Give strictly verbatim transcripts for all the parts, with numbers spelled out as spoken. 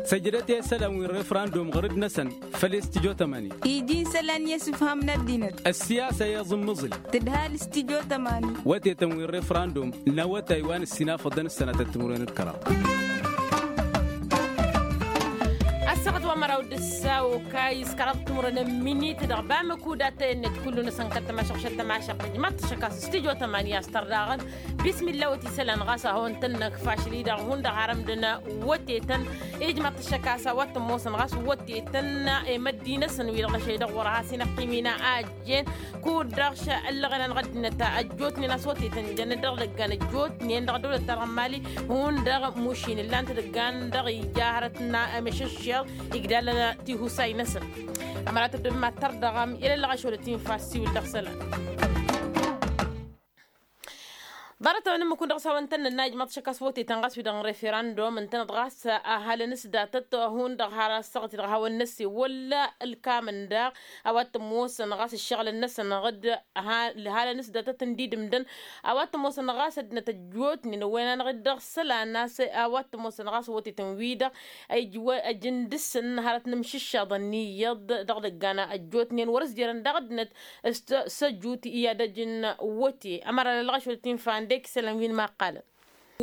Săjdăt i-isălan wi n-refrandum ɣur-dd-năsăn făll-istijjo tămani. Iji n-isălan i-asǝfham n-ăddinăt. Ăssiyasa i-iẓǝmmǝẓǝl tǝdhal istijjo tămani. Wătetăn wi n-refrandum n-awătay wa n-ǝssinafăḍăn ǝssănatăt timǝrwen d-kăraḍ. Ăssaɣăt wa măraw d-ǝssa okayǝs kăraḍ timǝrwen n-minit dăɣ-bamăkuda tăyănnet kullu-năsăn kăl-tămašăɣ šăl tămašăɣ tăjmaḍ tăššăk a-s istijjo tămani a-s tărdăɣăn. Bismilla wăt isălan ɣas a hawăn-tăn-năkf ašăl-i-dăɣ hundăɣ har ămdăn wătetăn. Ijmaḍ-t ăššăk a-s a-wa t-ămoosăn ɣas wătetăn i-măddi-năsăn wi-dăɣ n-ašăl-i-dăɣ wăr-has-in-ăqqim-in ăjjeen. Kud-dăɣ šăllăɣen-anăɣ ăddinăt ăjjootnen a-s wătetăn jăn dăɣ-idăggan ăjjootnen dăɣ-ăddăwlăt-ta-dăɣ n-mali. Hundăɣ mušin ǝllan-t idăggan dăɣ-ija hărăt n-amešăššeḍ igdalăn tihusay-năsăn. Ămăra tăddobem ad-tărdăɣăm i-lăllăɣ ašăl ătwănfa ăssiwǝl dăɣ-isălan. Ḍarăt-a-wen ǝmmǝk-wǝn dăɣ-s hawăn-tăn-nǝnna ijmaḍ-t šăkk a-s wătetăn ɣas wi-dăɣ n-referandum ǝntăneḍ ɣas ăhalăn s-datăt hundăɣ har ăssaɣăt-i-dăɣ hawăn-năssewăl ǝlkam-ǝndaɣ a-wa t-ămoosăn ɣas ǝššăɣǝlăn-năsăn ɣǝd ǝhalăn s-datăt ǝndidǝmdăn a-wa t-ămoosăn ɣas ăddinăt ăjjootnen ăwwăyăn-anăɣ-dd dăɣ-isălan a-s a-wa t-ămoosăn ɣas wătetăn-wi-dăɣ. Ăj n-dăr-săn hărăt n-amšǝššaḍăn n-iyyăḍ dăɣ-idăggan ăjjootnen wăr-ăzjărăn daɣ ăddinăt s-tăjut i-ad-ăj n-wăte. Ămăra lălɣăš wăr t-infa ǝndek isălan wi n-imaqqalăn.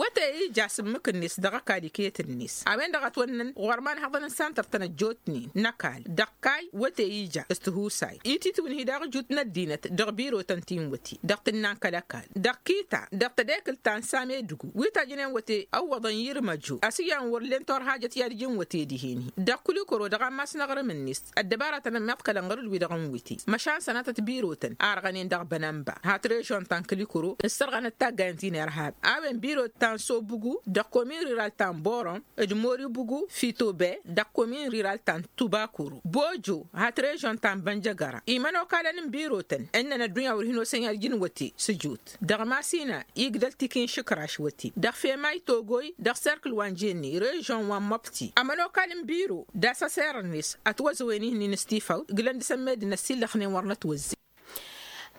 Wăte ija s-ǝmmǝk-net dăɣ-ăkall iket-net a-wen-dăɣ ătwănnăn ɣur-imanhaḍăn n-santăr-tăn ăjjootnen n-ăkall dăɣ-kayy wăte ija s-tihusay ititǝwǝnhi daɣ ǝjut n-ăddinăt dăɣ-birotăn ti n-wăte dăɣ-tǝnna n-kăl-ăkall dăɣ-kita dăɣ-tedekǝlt ta n-same dǝgu wi tajjănen wăte ăwwăḍăn i-irmăjo ăsǝyyan wăr len torhajăt i-ad-ǝjǝn wăte dihen-hi dăɣ-kulikoro dăɣ-ammas n-aɣrǝm-net. Ăddăbaratăn ămmiḍkălăn ɣur-dd-wi-dăɣ n-wǝte măšan sănatăt birotăn arɣănen dăɣ-bănănba ha trežon ta n-kǝlikuro ǝssărɣanăt taggayen ti n-irhab a-wen birot ta n-sobugu dăɣ-komin riral ta n-borom d-moribugu fitobe dăɣ-komin riral ta n-tubakuro bojo ha trežon ta n-bănjăgăra imănokalăn n-birotăn ǝnnăn ăddunya wăr hin-osăn i-ad-ǝjǝn wăte s-ǝjut dăɣ-masina igdăl tikinšǝkraš wăte dăɣ-femay togoy dăɣ-serkǝl wa n-jenne režon wa n-măbti ămănokal n-biro d-asăser-net ătwăzăwen ihǝnnin s-tifawt gǝlăn dăr-săn meddǝn ăssillăxnen wăr nătwăzzey.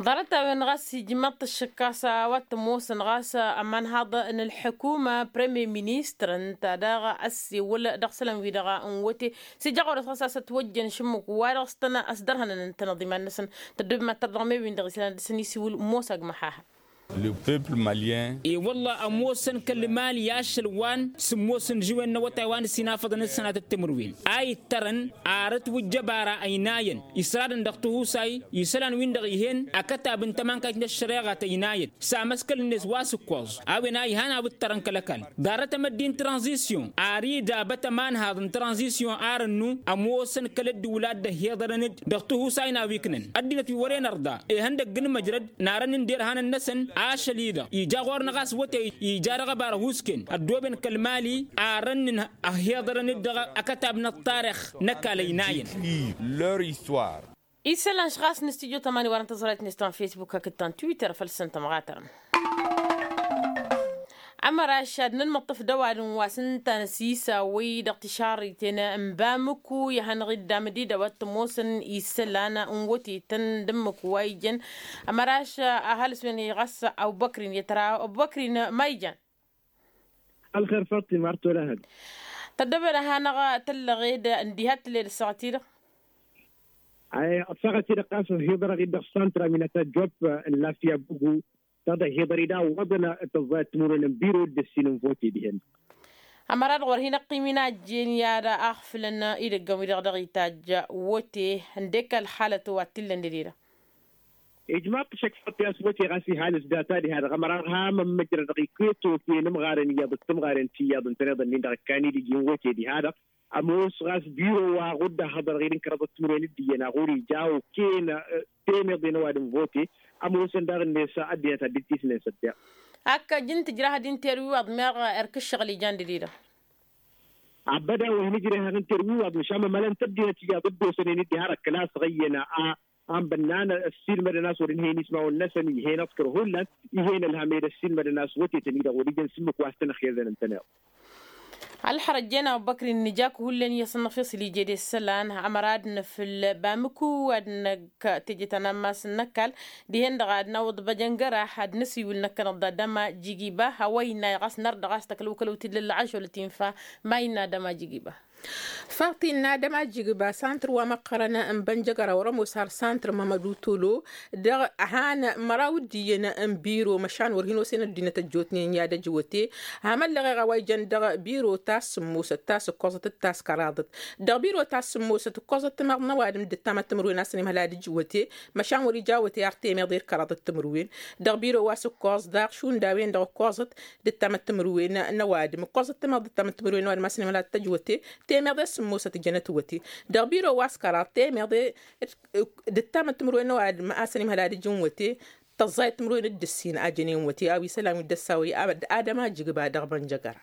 Ḍarăt-a-wen ɣas ijmăḍ-t ăššăk a-s a-wa t-ămoosăn ɣas ămanhaḍ n-ălḥukuma premier ministăr ǝnta daɣ ăssewăl dăɣ-isălan-wi-dăɣ n-wăte s-ija ɣur-s ɣas a-s ătwăjjăn šǝmmǝk-wa-dăɣ s-tăn-ăsdărhănăn ǝntăneḍ iman-năsăn. Tăddob mad-tărdăɣ me-win-dăɣ isălan ad-dăr-săn isiwǝl mosa agmăhaha. Le peuple malien. E-wălla ămoosăn kăl-mali ašăl wa n-sǝmmos n-žiwen n-awătay wa n-ǝssinafăḍăn d-sănatăt timǝrwen a ittărăn arăt wǝjjăbara ăynayăn isradăn dăɣ-tihusay isălan-win-dăɣ ih'-en akătab n-tămankayt n-ăššăreɣa tăynayăn samăskăl-net wa s-ǝkkoẓ a-wen a ihan a wǝttărăn kăl-ăkall ḍarăt amăddi n-tranzisyon ar idabăt ămanhaḍ n-tranzisyon ar ănnu ămoosăn kăl-ăddǝwǝl a dd-ăhhiḍărăn-dd dăɣ-tihusay n-a-wa iknăn ăddinăt wi wăren ărḍa ihăndăgg n-măjrăd narăn n-derhanăn-năsăn ašăl-i-dăɣ ija ɣur-năɣ a-s wătey ija dăɣ-ăbarăhusken ăddooben kăl-mali arăn n-ăhhiḍărăn-dd dăɣ-akătab n-ăṭṭarix n-ăkall ăynayăn. Isălan ɣas n-studyo tămani wărăn tăẓrayt-net ta n-facebook hakd ta n-twitter făll-săn tămɣatărăm. Ămăraš ad-nǝnmǝṭṭǝf d-ăwadǝm wa s-ǝnta n-asisa wăy dăɣ-tišarriten n-bamǝku i-ad-hanăɣ-dd amdid a-wa t-ămoosăn isălan n-wătetăn d-ǝmmǝk wa ijăn. Ămăraš ăhalǝs-wen-hi ɣas ăbubăkrin i-tăra ăbubăkrin ma ijan. Ălxer faṭṭima ar tolăhăd. Tăddobed ad-hanăɣ tăllăɣed ǝndiha t-tǝlled ăssaɣăt-i-dăɣ. Ăssaɣăt-i-dăɣ ɣas ăhiḍărăɣ-dd dăɣ-santra wi n-ad-tajjop n-lafya bugu. Tăḍăhiḍăr-i daɣ wăḍăn tăẓẓayăt timǝrwen n-biro d-ǝssin n-vote dihen. Ămăra-dăɣ wăr hin-ăqqim-in a ăjjeen i-ad-aɣfǝlăn idăggăn-wi-dăɣ dăɣ-itajj. Wote ǝndek ălxalăt wa t-illăn dăd-i-dăɣ. Ijmaḍ-t šăkfăt i-a-s wote ɣas ihalǝs data diha-dăɣ ămăra-dăɣ ham ămmăjrăd dăɣ-iket okăyăn ǝmɣaren iyyăḍ d-tǝmɣaren tiyyăḍ ǝntăneḍ-ǝnnin-dăɣ ǝkkan-dd iji n-wote diha-dăɣ. Ămoos ɣas biro wa ɣur-dd-ăhhăḍărăɣ-dd n-kăraḍăt timǝrwen d-iyyăn a ɣur-ija okăyăn temeḍe n-ăwadǝm n-vote. Ămoosăn daɣ-net ăddinăt ad-dd-tisnen s-ăddeɣ. Ak ăj n-tǝjrahăd n-terwiwaḍ meɣ erk ǝššăɣǝl ijan dăd-i-dăɣ. Ăbăda wa hin-ǝjrehăɣ n-terwiwaḍ măšan mămălăn-t ăddinăt iyyăḍ dd-osănen-dd diha-dăɣ kăla-s ɣăyyăn a. Anbănnan ăssiilmădăn a-s wăr-ǝnhăyăn ismawăn-năsăn ih'-en ăḍkăr hullan. Ih'-en ălhămed ăssiilmădăn a-s wătetăn-i-dăɣ wăr-ijăn s-ǝmmǝk wa s-tăn-ăxyăzăn ǝntăneḍ. Ălxărăjjen a-wa băkrin nǝja-k hullan i-asănnăf i-asǝl ije d-isălan ămăra ad-nǝfǝl bamǝku ad-năkk teje ta n-ammas n-ăkall dihen-dăɣ ad-nawǝḍ băjăngăra ad-nǝsiwǝl năkkănăḍ d-adăma jigiba a-wa innă ɣas nărdăɣ a-s tăklăw kălăw tidlăl lăɣašolăt infa. Ma innă adăma jigiba. Faḍt innă adăma jigiba santăr wa măqqărăn n-bănjăgăra wăr-ămoos har santăr mămădutolo dăɣ-han măraw d-iyyăn n-biro măšan wăr hin-osen ăddinăt ăjjootnen i-ad-ăjwăte. Hamălleɣeɣ a-wa ijăn dăɣ-biro ta s-sǝmmosăt ta s-ǝkkoẓăt d-ta s-kăraḍăt. Dăɣ-biro ta s-sǝmmosăt ǝkkoẓăt timaḍ n-ăwadǝm d-ǝttamăt timǝrwen a-s ănimhăl ad-ǝjwăte. Măšan wăr-ija awăte har temeḍe d-kăraḍăt timǝrwen. Dăɣ-biro wa s-ǝkkoẓ daɣ šund a-wen-dăɣ ǝkkoẓăt d-ǝttamăt timǝrwen n-ăwadǝm ǝkkoẓăt timaḍ d-ǝttamăt timǝrwen n-ăwadǝm a-s ănimhăl ad-t-ăjwăte. Temeḍe s-sǝmmosăt jănăt wăte. Dăɣ-biro wa s-kăraḍ temeḍe d-ǝttamăt timǝrwen n-ăwadǝm a-s ănimhăl ad-ǝjǝn wăte. Tăẓẓayăt timǝrwen d-ǝssin a jănen wăte a-wa isălan wi dd-ăssawăy. Ad-adăma jǝgba dăɣ-bănjăgăra.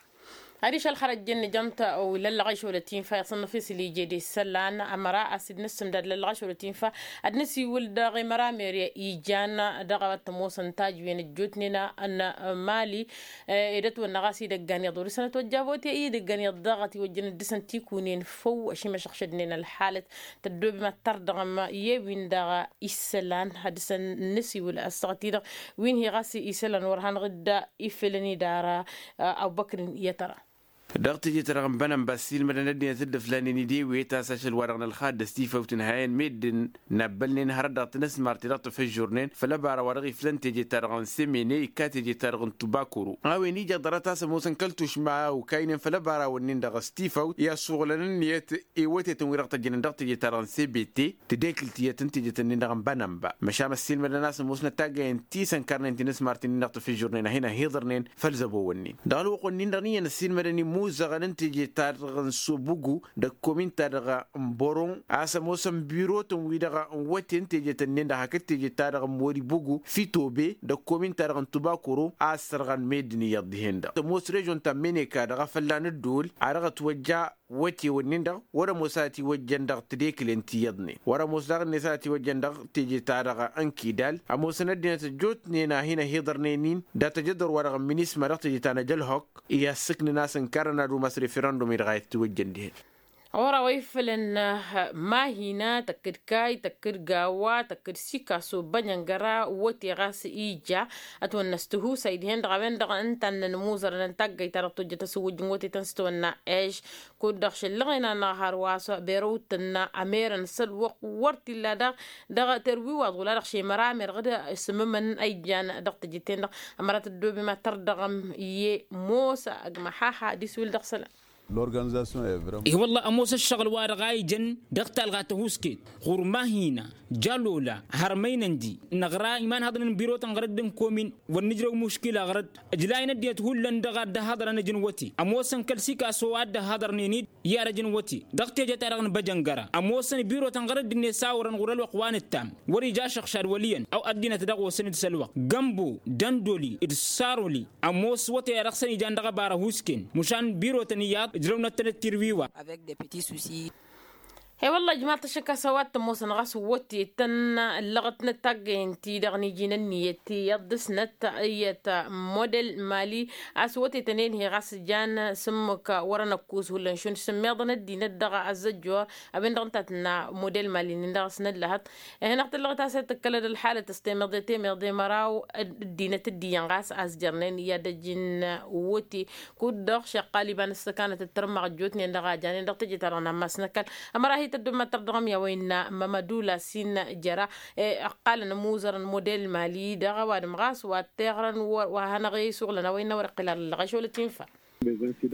Adiš ălxărăjjăn nǝjăn-t. Lăllăɣăy šolăt infa i-asănnăf i-asǝl ije d-isălan ămăra a-s dd-nǝssǝmdad lăllăɣăy šolăt infa ad-nǝsiwǝl dăɣ-i măramer ijan dăɣ-a-wa t-ămoosăn tajwen ăjjootnen n-mali. Ed ătwănna ɣas idăggan iyyăḍ wăr-isănăt wăjja vote idăggan iyyăḍ daɣ ătiwăjjăn dd-dăr-săn tikunen făw ăšimăšăɣšădnen ălxalăt. Tăddoobem ad-tărdăɣăm i-wi-dăɣ isălan ad-dăr-săn nǝsiwǝl ăssaɣăt-i-dăɣ wi n-hi ɣas isălan wăr hanăɣ-dd-ifǝlăn idara. Abubăkr i-ad-tăra. Dăɣ-teje-ta-dăɣ n-bănănba ăssiilmădăn ăddinăt dd-ǝflanen idewet a-s ašăl-wa-dăɣ n-ălxadd ăstifăwt n-ihayăn meddǝn n-abbălnen hărăt dăɣ-tinăsmart-i dăɣ-tafăžžurnen făll-ăbara wa dăɣ-iflăn teje-ta-dăɣ n-semene ikka teje-ta-dăɣ n-tubakuru. A-wen ija ḍarăt a-s ămoosăn kăl-tušma a okaynen făll-ăbarawăn-nin-dăɣ ăstifăwt i-asuɣǝlăn ǝnniyăt i-wătetăn wi dăɣ-tăjjănen dăɣ-teje-ta-dăɣ n-sebete. Tedekǝlt iyyăt n-teje-tăn-nin-dăɣ n-bănănba măšan ăssiilmădăn a-s ămoosnăt taggăyen ti s-ănkărnen tinǝsmart-nin-dăɣ tafǝžžurnen a hin-ăhiḍărnen. Făll-zăbo-wǝnnin dăɣ-ălwăqq-wǝnnin-dăɣ n-iyyăn ăssiilmădăn imuzăɣăn n-teje-ta-dăɣ n-sobugu d-ăkkomin-ta-dăɣ n-boron a-s ămoosăn birotăn-wi-dăɣ n-wăte n-teje-tăn-nin-dăɣ hakd teje-ta-dăɣ n-moribugu fitobe d-ăkkomin-ta-dăɣ n-tubakoro a ăssărɣăn meddǝn iyyăḍ dihen-dăɣ tămoos režon ta n-meneka dăɣ-afălla n-ǝddul a dăɣ-ătwăjja. Wăte-wǝnnin-dăɣ wăr-ămoos a ătiwăjjăn dăɣ-tedekǝlen ti iyyăḍnen wăr-ămoos daɣ-net a ătiwăjjăn dăɣ-teje-ta-dăɣ n-kidal ămoosăn ăddinăt ăjjootnen a hin-ăhiḍărnen-in dat-ajădor-wa-dăɣ n-minisma dăɣ-teje ta n-ajălhok. I-assǝknăn a-s ǝnkarăn ad-umas referendum-i-dăɣ a ittiwăjjăn dihen. Ɣur-a-wa ifălăn mahina tăkk-dd kay tăkk-dd gawa tăkk-dd sikaso bănjăngăra wăte ɣas ija. Ătwănna s-tihusay dihen-dăɣ a-wen-dăɣ ǝntannăn imuzărăn n-taggayt-ta-dăɣ tojjăt asǝwwǝjj n-wăte tăn-s tăwănna eš. Kud-dăɣ šăllăɣen-anăɣ har wa s-berăw tǝnna ămerăn s-ălwăqq wăr t-illa daɣ. Dăɣ-terwiwaḍ wăla-dăɣ šemăramer ɣǝd s-imǝmăn a ijan dăɣ-tejǝt-ten-dăɣ. Ămăra tăddoobem ad-tărdăɣăm i-mosa ăgg măhaha ad-iswǝl dăɣ-isălan. Lorganizasyon evre. Ih wălla ămoos ăššăɣǝl-wa-dăɣ a ijăn dăɣ-talɣa tăhusket ɣur-mahina jalola hărmăynăndi năɣra imanhăḍnen n-birotăn ɣărădd n-komin wăr nǝjrăw muškila ɣărădd. Ǝjlayăn ăddinăt hullan dăɣ-ad-dd-ăhhăḍrăn ǝjǝn wăti ămoosăn kăl-sikaso a dd-ăhhăḍrănen-dd i-ad-ăjǝn wăti dăɣ-teje-ta-dăɣ n-băjăngăra ămoosăn birotăn ɣărădd-net a orăn ɣur-ălwăqq wa nǝttam wăr-ija ašăɣšad wăl' iyyăn. Ăw ăddinăt dăɣ-osăn d-sălwăqq gămbo dăndoli d-saroli ămoos wăte-ya dăɣ-săn ijan dăɣ-ăbara husken mušan birotăn iyyăḍ ǝjrăwnăt-tănăt tirwiwa. He-wălla ijmaḍ-t ašăk a-s a-wa t-ămoosăn ɣas wăte tăn-ăllăɣătnăt taggăyăn-ti-dăɣ n-iji n-ǝnniyăt iyyăḍ dăr-snăt iyyăt model mali. A-s wăte tăn-enhi ɣas jan s-ǝmmǝk wăr-ănăkkus hullan šund s-ǝmmiḍăn ăddinăt dăɣ-ăzzăjjor a-wen-dăɣ ǝnta a tǝnna model mali-nin-dăɣ a-s năllăhăḍ. Ih'-anăɣ tǝllăɣăt a-s ed tǝkkălăd ălḥalăt s-temăḍe temăḍe măraw ăddinăt dd-iyyăn ɣas a-s jărnen i-ad-ăj n-wăte. Kud-dăɣ šăqqal iba n-ǝssăkanăt d-tărmăɣ ăjjootnen dăɣ-a janen dăɣ-teje-ta-dăɣ n-ammas n-ăkall. Ămăra hi-tăddommăt tărdăɣăm i-a-wa innă mămădula s-innă jăra. Ăqqalăn ămuzărăn model mali dăɣ-ăwadǝm ɣas wa t-iɣrăn wa hanăɣ-isuɣlăn a-wa innă wăr-iqqǝl ar ǝllăɣ ašolăt infa.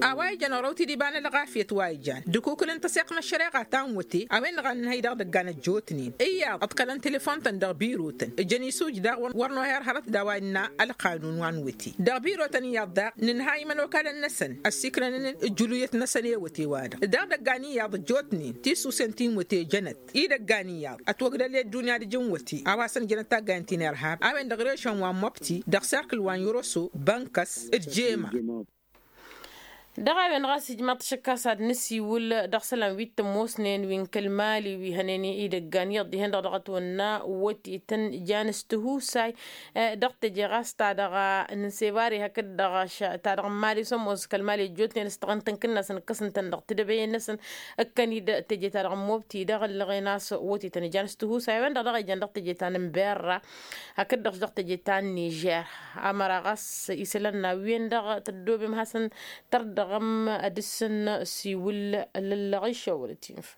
A-wa ijăn ɣur-awǝt-dd iba n-ălɣafyăt wa ijan d-akukǝl n-tăseɣt n-ăššăreɣa ta n-wăte a-wen-dăɣ a nǝnhăy dăɣ-idăggan ăjjootnen iyyăḍ ǝḍkălăn telefon-tăn dăɣ-birotăn ǝjăn isuj daɣ wăr noher hărăt d-a-wa innă ălqanun wa n-wăte. Dăɣ-birotăn iyyăḍ daɣ nǝnhăy imănokalăn-năsăn ăssikrănăn ǝjjǝluyăt-năsăn i-wăte-wa-dăɣ dăɣ-idăggan iyyăḍ ăjjootnen tisusen ti n-wăte jănăt idăggan iyyăḍ ătwăgdăl i-ăddunya d-ijǝn wăte a-wa s-ănjănăt taggayăn ti n-irhab a-wen-dăɣ rešăn wa n-măbti dăɣ-serkǝl wa n-yoroso bănkăs d-jema. Dăɣ-a-wen ɣas ijmaḍ-t ašăkkas ad-nǝsiwǝl dăɣ-isălan wi t-ămoosnen wi n-kăl-mali wi hănen idăggan iyyăḍ dihen-dăɣ dăɣ-ătwănna wătetăn jan s-tihusay. Dăɣ-teje ɣas ta dăɣ-nǝnsebari hakd-dăɣ ta dăɣ-n mali s-ămoos kăl-mali ăjjootnen s-taɣǝnt n-kǝnnasăn ǝkkăsăn-tăn dăɣ-tidăbăyen-năsăn. Ǝkkăn-dd teje ta dăɣ-n mobti dăɣ-ǝllăɣen a-s wătetăn jan s-tihusay a-wen-dăɣ dăɣ-a ijan dăɣ-teje ta n-berra. Hakd-dăɣ s-dăɣ teje ta n-nižer. Amăra ɣas isălan n-a-wen-dăɣ tăddobem hasăn-tărdăɣăm ad-dăr-săn siwǝl lăllăɣ išăwălăt infa.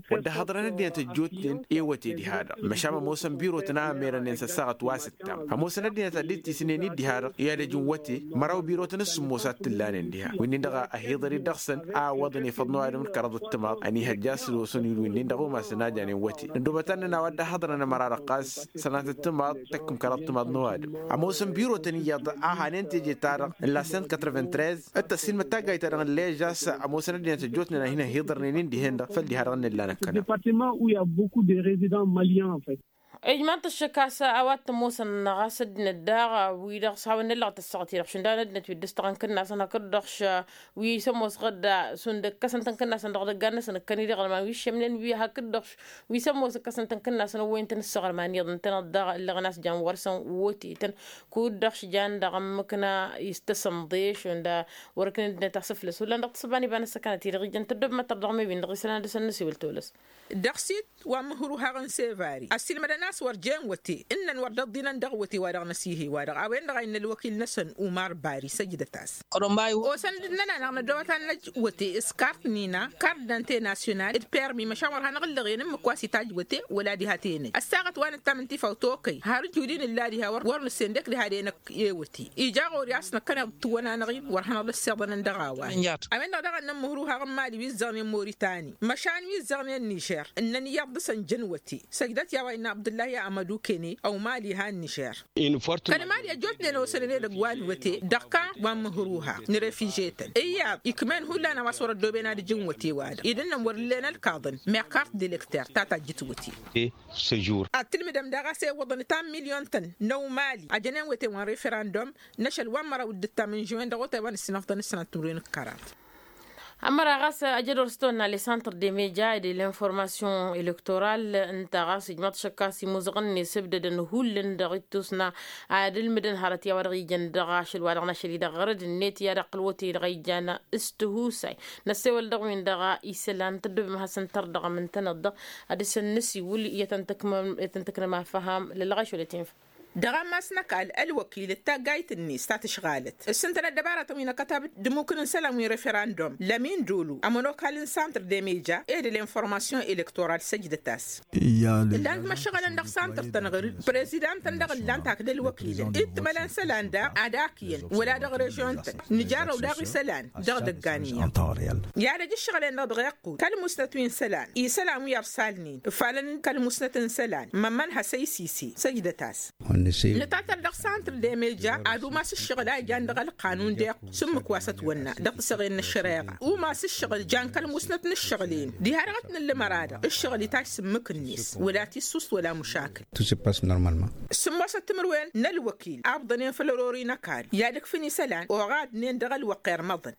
Wădden haḍărăn ăddinăt ăjjootnen i-wăte diha-dăɣ măšan ămoosăn birotăn a ămerănnen s-ăssaɣăt wa s-ǝttam ămoosăn ăddinăt ad-dd-tisǝnnen-dd diha-dăɣ i-ad-ăj n-wăte. Măraw birotăn s-sǝmmos a t-ǝllanen diha wi-nin-dăɣ a hi-iḍăr-dd dăɣ-săn a ǝwwăḍăn ifăḍ n-ăwadǝm d-kăraḍăt timaḍ ănihăjja a-s ălwăsăn-in wi-nin-dăɣ umasăn a janen wăte. Năddobăt ad-nǝnna a-wa dd-ăhhăḍrăn ămăra-dăɣ ɣas sănatăt timaḍ tăkkǝm kăraḍ timaḍ n-ăwadǝm. Ămoosăn birotăn iyyăḍ a hanen teje-ta-dăɣ n-la cent quatre-vingt-treize d-tăssiilmăd taggayt-ta-dăɣ n-ležas. Ămoosăn ăddinăt ăjjootnen a hin-ăhhiḍărnen-in dihen-dăɣ făl diha-dăɣ n-ǝllan ăkkăneḍ. Ijmaḍ-t ăššăk a-s a-wa t-ămoosăn ɣas ăddinăt daɣ wi-dăɣ s-hawăn-năllăɣ tăssaɣăt-i-dăɣ šund a-wen ăddinăt wi dd-ǝstăɣăn kǝnnasăn hakd-dăɣ š-wi s-ămoos ɣǝdda šund ǝkkăsăn-tăn kǝnnasăn dăɣ-idăggan-năsăn ǝkkăn-i-dăɣ ălman wi ššămnen wi hakd-dăɣ wi s-ămoos ǝkkăsăn-tăn kǝnnasăn ăwwăyăn-tăn ǝssăɣăl iman iyyăḍ ǝntăneḍ daɣ ǝllăɣăn a-s jan wăr-săn wătetăn. Kud-dăɣ š-jan dăɣ-ǝmmǝkna istăsănḍe šund a wăr-ǝknǝn ăddinăt a-s ǝflăs hullan dăɣ-tǝssǝba n-iba n-ăssăkanăt-i-dăɣ ijăn tăddob măttăr dăɣ-mewin dăɣ-isălan ad-dăr-săn nǝsiwǝl tolăs. Dăɣ-sit wa n-mǝhruhaɣ n-sevari ăssiilmădăn a-s wăr jen wăte ǝnnăn wăr dd-ăḍḍinăn dăɣ-wăte wa dăɣ-năsihe-wa-dăɣ a-wen-dăɣ a innă ălwăkil-năsăn umar bari săjdăt-as. Osăn dd-nănanăɣ năddoobăt ad-năj wăte s-kart n-ina kart d-antenasyonal d-permi măšan wăr hanăɣ-ǝllăɣen ǝmmǝk wa s-itajj wăte wăla diha tenăj ăssaɣăt wa nǝttam n-tifawt okăy har ǝjud-in ǝlla diha wăr nǝssen d-ekk diha d-enăkk i-wăte. Ija ɣur-i a-s năkkăneḍ tǝwwănanăɣ-in wăr hanăɣ-dd-ăssiḍănăn dăɣ-a-wa. Ămăra-wen-dăɣ daɣ ănnăn mǝhruhaɣ n-mali wi ǝzzăɣnen moritani măšan wi ǝzzăɣnen nižer ǝnnăn iyyăḍ dăɣ-săn jăn wăte. Săjdăt i-a-wa innă abdullahi amădu kene ăwmal iha n-nižer. Kăl-mali ăjjootnen osănen edăgg wa n-wăte dăɣ-kan wa n-mǝhruhaɣ n-refiže-tăn iyyăḍ ikm'-en hullan a-wa s-wăr-ăddooben ad-ǝjǝn wăte-wa-dăɣ idǝnnăn wăr ǝllen ălkaḍăn meɣ kart d-elekter ta tajjǝt wăte. Ad-tǝlmǝdăm daɣ a-s ewwăḍăn ta n-milyon-tăn n-ăwmali a jănen wăte wa n-referandum n-ašăl wa n-măraw d-ǝttam n-žuwen dăɣ-otay wa n-ǝssinăfḍăn ǝssanat timǝrwen d-kăraḍ. Ămăra ɣas ajădor s-tăwănna le centre de media e de l'information electorale ǝnta ɣas ijmaḍ-t šăkk a-s imuzăɣăn-net ǝbdădăn hullan dăɣ-ittusna ad-ǝlmǝdăn hărăt i-a-wa dăɣ-ijăn dăɣ-ašăl wa dăɣ-našăl-i-dăɣ ɣărăd-net i-ad-ăqqǝl wăte-i-dăɣ a ijan s-tihusay. Năssewăl dăɣ-win-dăɣ isălan tăddobem ad-hasăn-tărdăɣăm ǝntăneḍ-dăɣ ad-dăr-săn nǝsiwǝl i-ad-tăn-tǝknăm afăham lălɣaš wăla tinfa. Dăɣ-ammas n-ăkall ălwăkil d-taggayt-net ta tǝšɣalăt s-ǝntănăt dăbaratăn wi n-akătab d-imukǝn n-isălan wi n-referandum lămin dolo ămănokal n-santr de meja ed l'information electoral săjdăt-as. Ǝllan-t măššăɣǝlăn dăɣ-santr-tăn ɣǝr-dd prezidant-tăn dăɣ-ǝllan-t hakd ălwăkilăn dd-timăla n-isălan daɣ ad-ak iyyăn wăla dăɣ-režion-tăn nǝjarrăw daɣ isălan dăɣ-idăggan iyyăn. I-ad-ăj ǝššăɣǝl-en-dăɣ dăɣ-iqqud kăl-musnăt wi n-isălan isălan wi ărsalnen ǝfalăn kăl-musnăt n-isălan mămmăn hasăy sise săjdăt-as. Nǝtatăr dăɣ-santr de meja ad-umas ǝššăɣǝl a ijan dăɣ-ălqanun d-iqqud s-ǝmmǝk wa s-ătwănna dăɣ-tisăɣen n-ăššăreɣa umas ǝššăɣǝl jan kăl-musnăt n-ǝššăɣǝl-en diha dăɣ-t nǝllǝmăr-a-dăɣ ǝššăɣǝl itajj s-ǝmmǝk-net wăla tissust wăla mušakǝl. S-sǝmmosăt timǝrwen n-ălwăkil abḍănen făll-ărori n-ăkall i-ad-ǝkfǝn isălan oɣadnen dăɣ-ălwăqq irmăḍăn.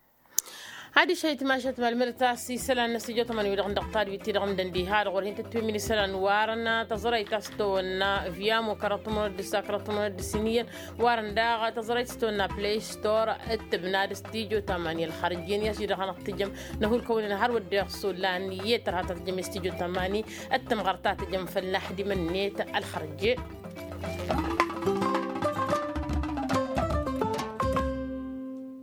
Adiš a itmašat malmădăt a-s isălan n-ăstijo tămani wi-dăɣ n-dăɣ-tadwit-ti-dăɣ ǝndăn diha-dăɣ wăr hin-tătwǝmǝn isălan warăn tăẓrăyt a-s tăwănna viamo kăraḍ tămănăt d-ǝssa kăraḍ tămănăt d-sǝnǝyyăn warăn daɣ tăẓrăyt s-tăwănna play store d-tǝbna d-ăstijo tămani ălxărǝjjen i-ăsidăɣ hanăɣ-tǝjăm năhulkăwăn-in har wădden iɣsǝllan i-tărha ta tǝjăm i-ăstijo tămani d-tǝmɣăr ta tǝjăm făll-naḥdimăn-net ălxărǝjje.